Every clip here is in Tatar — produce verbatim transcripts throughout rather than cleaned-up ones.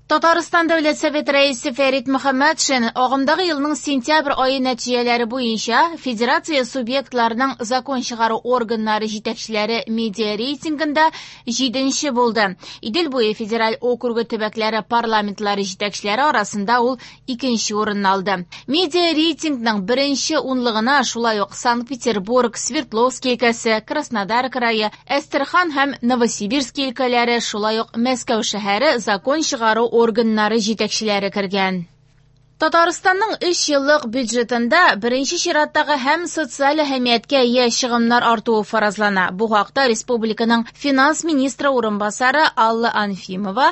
Татарстан Дәүләт Советы Рәисе Фәрит Мөхәммәтшин агымдагы елның сентябрь ае нәтиҗәләре буенча Федерация субъектларының закон чыгару органнары җитәкчеләре медиа рейтингында җиденче булды. Идел буе федераль округы төбәкләре парламентлары җитәкчеләре арасында ул икенче урынны алды. Медиа рейтингның беренче унлыгына шулай ук Санкт-Петербург, Свердловский өлкәсе, Краснодар крае, Әстерхан һәм Новосибирский өлкәләре, шулай ук Мәскәү шәһәре закон чыгару органнары җитәкчеләре кергән. Татарстанның өч еллык бюджетында беренче чираттагы һәм социаль әһәмияткә ия чыгымнар артуы фаразлана. Бу хакта республиканың финанс министры урынбасары Алла Анфимова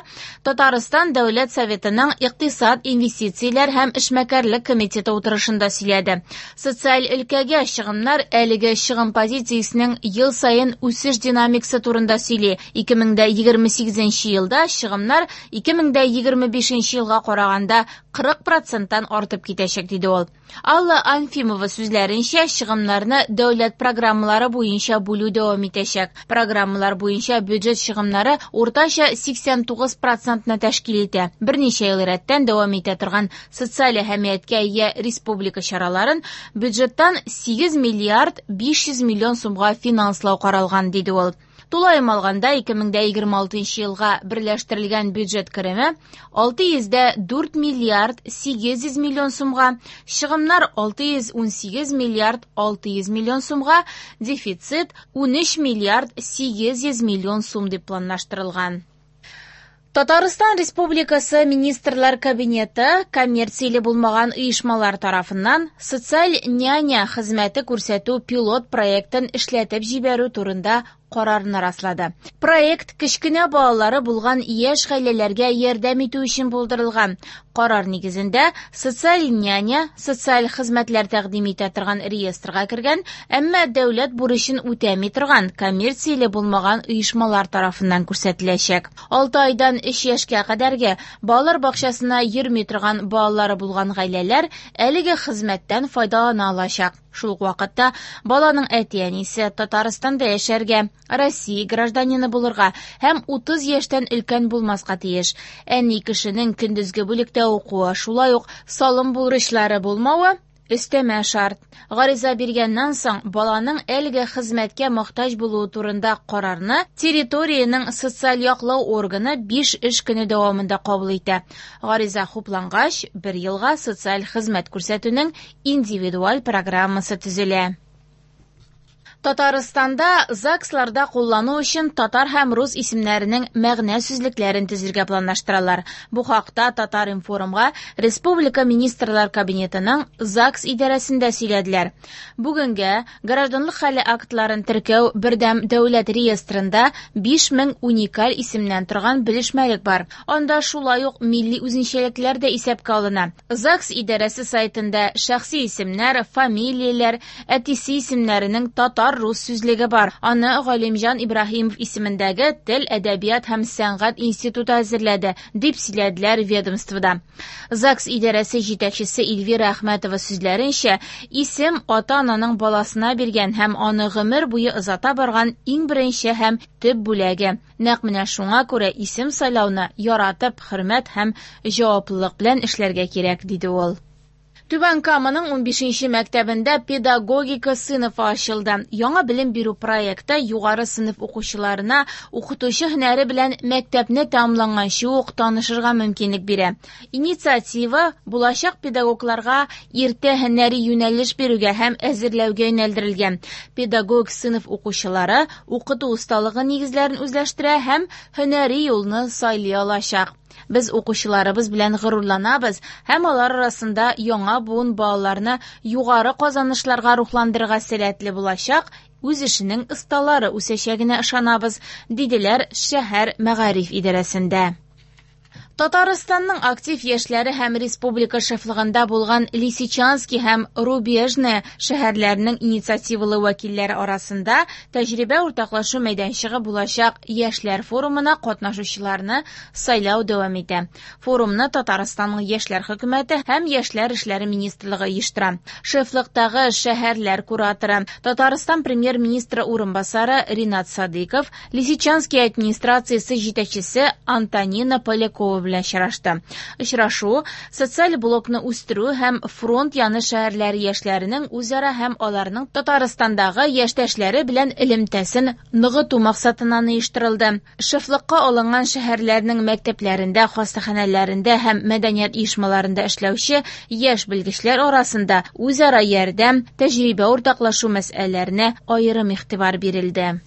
Татарстан Дәүләт Советының икътисад, инвестицияләр һәм эшмәкәрлек комитеты утырышында сөйләде. Социаль өлкәгә чыгымнар әлеге чыгым позициясенең ел саен үсеш динамикасы турында сөйли. ике мең дә егерме сигезенче елда чыгымнар ике мең дә егерме бишенче елга караганда кырык проценттан артып китәчәк, диде ул. Алла Анфимова сүзләренчә, чыгымнарны дәүләт программалары буенча бүлү дәвам итәчәк. Программалар буенча бюджет чыгымнары уртача сиксән тугыз процентны тәшкил итә. Берничә ел рәттән дәвам итә торган социаль әһәмияткә ия республика чараларын бюджеттан сигез миллиард биш йөз миллион сумга финанслау каралган, диде ул. Тулаем алганда ике мең дә егерме алтынчы елга берләштерелгән бюджет кереме алты йөз дә дүрт миллиард сигез йөз миллион сумга, чыгымнар алты йөз ун сигез миллиард алты йөз миллион сумга, дефицит ун өч миллиард сигез йөз миллион сум дип планлаштырылган. Татарстан Республикасы Министрлар Кабинеты коммерцияле булмаган оешмалар тарафыннан социаль няня хезмәте күрсәтү пилот проектын эшләтеп җибәрү турында карарны раслады. Проект кечкенә балалары булган яшь гаиләләргә ярдәм итү өчен булдырылган. Карар нигезендә социаль няня социаль хезмәтләр тәкъдим итә торган реестрга кергән, әмма дәүләт бурычын үтәми торган коммерцияле булмаган оешмалар тарафыннан күрсәтеләчәк. Алты айдан өч яшькә кадәрге балалар бакчасына йөрми торган балалары булган гаиләләр әлеге хезмәттән файдалана алачак. Шул ук вакытта баланың әти-әнисе Татарстанда яшәргә, Россия гражданины булырга һәм утыз яшьтән өлкән булмаска тиеш. Әни кешенең көндезге бүлектә укуы, шулай ук салым бурычлары булмавы өстәмә шарт. Гариза биргәннән соң баланың әлеге хезмәткә мохтаҗ булуы турында карарны территориянең социаль яклау органы биш эш көне дәвамында кабул итә. Гариза хуплангач, бер елга социаль хезмәт күрсәтүнең индивидуаль программасы төзелә. Татарстанда ЗАГСларда куллану өчен татар һәм рус исемнәренең мәгънә сүзлекләрен төзергә планлаштыралар. Бу хакта Татар-информга Республика Министрлар Кабинетының ЗАГС идарәсендә сөйләделәр. Бүгенгә гражданлык хәле актларын теркәү бердәм дәүләт реестрында биш мең уникаль исемнән торган белешмәлек бар. Анда шулай ук милли үзенчәлекләр дә исәпкә алына. ЗАГС идарәсе сайтында шәхси исемнәр, фамилияләр, әтисе исемнәренең татар рус сүзлеге бар. Аны Галимҗан Ибраһимов исемендәге Тел, әдәбият һәм сәнгать институты әзерләде, дип сөйләделәр ведомствода. ЗАГС идарәсе җитәкчесе Эльвира Әхмәтова сүзләренчә, исем ата-ананың баласына биргән һәм аны гомер буе озата барган иң беренче һәм төп бүләге. Нәкъ менә шуңа күрә исем сайлауны яратып, хөрмәт һәм җаваплылык белән эшләргә кирәк, диде ул. Түбән Каманың унбишенче мәктәбендә педагогика сыйныфы ачылды. Яңа белем бирү проекты югары сыйныф укучыларына укытучы һөнәре белән мәктәпне тәмамланганчы ук танышырга мөмкинлек бирә. Инициатива булачак педагогларга иртә һөнәри юнәлеш бирүгә һәм әзерләүгә юнәлдерелгән. Педагог сыйныф укучылары укыту осталыгы нигезләрен үзләштерә һәм һөнәри юлны сайлый алачак. Без укучыларыбыз белән горурланабыз һәм алар арасында яңа буын балаларны югары казанышларга рухландырырга сәләтле булачак, үз эшенең осталары үсәчәгенә ышанабыз, диделәр шәһәр мәгариф идарәсендә. Татарстанның актив яшьләре һәм республика шефлыгында булган Лисичанский һәм Рубежное шәһәрләренең инициативалы вәкилләре арасында тәҗрибә уртаклашу мәйданчыгы булачак яшьләр форумына катнашучыларны сайлау дәвам итә. Форумны Татарстанның яшьләр хөкүмәте һәм яшьләр эшләре министрлыгы оештыра. Шефлыктагы шәһәрләр кураторы Татарстан премьер-министры урынбасары Ринат Садыков, Лисичанский администрациясе җитәкчесе Антонина Полякова белән очрашты. Очрашу социаль блокны үстерү һәм фронт яны шәһәрләре яшьләренең үзара һәм аларның Татарстандагы яшьтәшләре белән элемтәсен ныгыту максатыннан оештырылды. Шефлыкка алынган шәһәрләрнең мәктәпләрендә, хастаханәләрендә һәм мәдәният оешмаларында эшләүче яшь белгечләр арасында үзара ярдәм, тәҗрибә уртаклашу мәсьәләләренә аерым игътибар бирелде.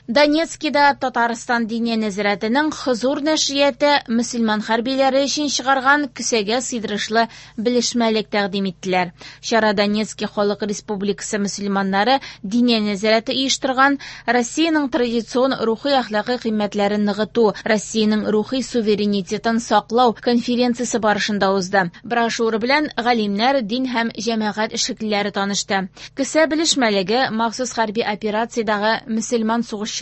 Донецкида Татарстан Диния нәзарәтенең Хозур нәшрияты мөселман хәрбиләре өчен чыгарган кесәгә сыйдырышлы белешмәлек тәкъдим иттеләр. Чара Донецки Халык Республикасы мөселманнары Диния нәзарәте оештырган Россиянең традицион рухи әхлакый кыйммәтләрен ныгыту, Россиянең рухи суверенитетын саклау конференциясе барышында узды. Брошюра белән галимнәр, дин һәм җәмәгать эшлеклеләре танышты. Кесә белешмәлеге махсус хәрби операциядәге мөселман сугышчыларына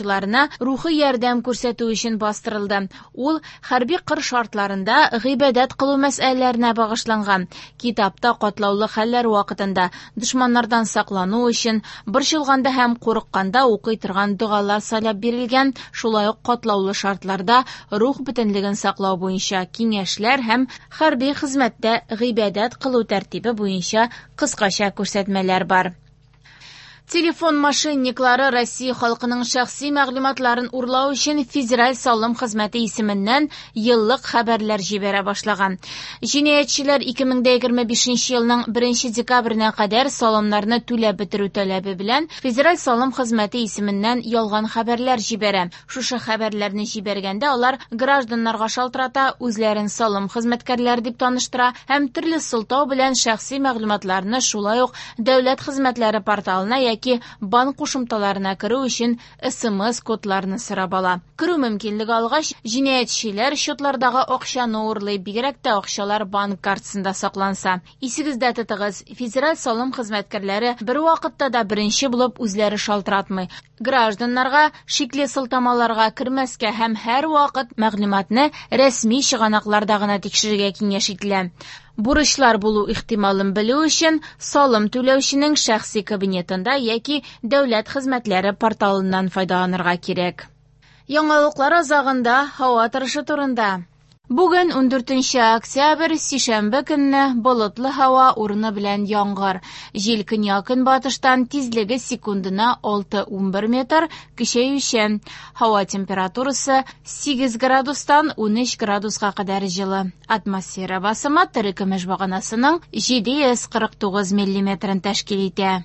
рухи ярдәм күрсәтү өчен бастырылды. Ул хәрби кыр шартларында гыйбадәт кылу мәсьәләләренә багышланган. Китапта катлаулы хәлләр вакытында дошманнардан саклану өчен борчылганда һәм курыкканда укый торган догалар сайлап бирелгән, шулай ук катлаулы шартларда рух бөтенлеген саклау буенча киңәшләр һәм хәрби хезмәттә гыйбадәт кылу тәртибе буенча кыскача күрсәтмәләр бар. Телефон мошенниклары Россия халкының шәхси мәгълүматларын урлау өчен Федераль салым хезмәте исеменнән еллык хәбәрләр җибәрә башлаган. Җинаятьчеләр ике мең егерме бишенче елның беренче декабренә кадәр салымнарны түләп бетерү таләбе белән Федераль салым хезмәте исеменнән ялган хәбәрләр җибәрә. Шушы хәбәрләрне җибәргәндә алар гражданнарга шалтырата, үзләрен салым хезмәткәрләре дип таныштыра һәм төрле сылтау белән шәхси мәгълүматларны шулай ук дәүләт хезмәтләре порталына яки банк кушымталарына керү өчен эс эм эс кодларны сорап ала. Керү мөмкинлеге алгач, җинаятьчеләр счетлардагы акчаны урлый, бигрәк тә акчалар банк картасында сакланса. Исегездә тотыгыз, федераль салым хезмәткәрләре бер вакытта да беренче булып үзләре шалтыратмый. Гражданнарга шикле сылтамаларга кермәскә һәм һәр вакыт мәгълүматны рәсми чыганакларда гына тикшерергә киңәш ителә. Бурычлар булу ихтималын белү өчен салым түләүченең шәхси кабинетында яки дәүләт хезмәтләре порталыннан файдаланырга кирәк. Яңалыклар азагында һава торышы турында. Бүген ун дүртенче октябрь, сишәмбе көнне болытлы һава, урыны белән яңгыр. Җил көньяк-көнбатыштан, тизлеге секундына алты ун бер метр, көчәючән. Һава температурасы сигез градустан ун өч градуска кадәр җылы. Атмосфера басымы терекөмеш баганасының җиде йөз кырык тугыз миллиметрын тәшкил итә.